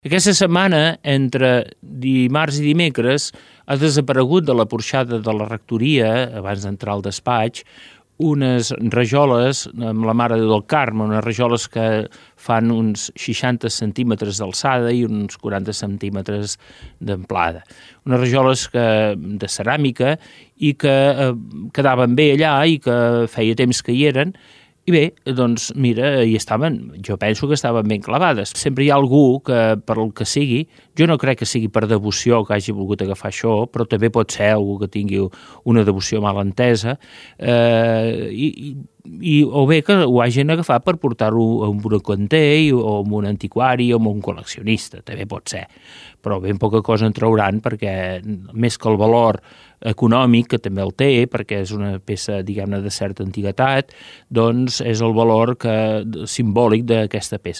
Aquesta setmana, entre dimarts i dimecres, ha desaparegut de la porxada de la rectoria, abans d'entrar al despatx, unes rajoles amb la Mare del Carme, unes rajoles que fan uns 60 centímetres d'alçada i uns 40 centímetres d'amplada. Unes rajoles de ceràmica i que quedaven bé allà i que feia temps que hi eren. I bé, doncs mira, hi estaven, jo penso que estaven ben clavades. Sempre hi ha algú que, per el que sigui, jo no crec que sigui per devoció que hagi volgut agafar això, però també pot ser algú que tingui una devoció mal entesa, o bé que ho hagin agafat per portar-ho a un brocanter o a un antiquari o a un col·leccionista, també pot ser. Però ben poca cosa en trauran perquè, més que el valor econòmic, que també el té, perquè és una peça, diguem-ne, de certa antiguitat, doncs és el valor simbòlic d'aquesta peça.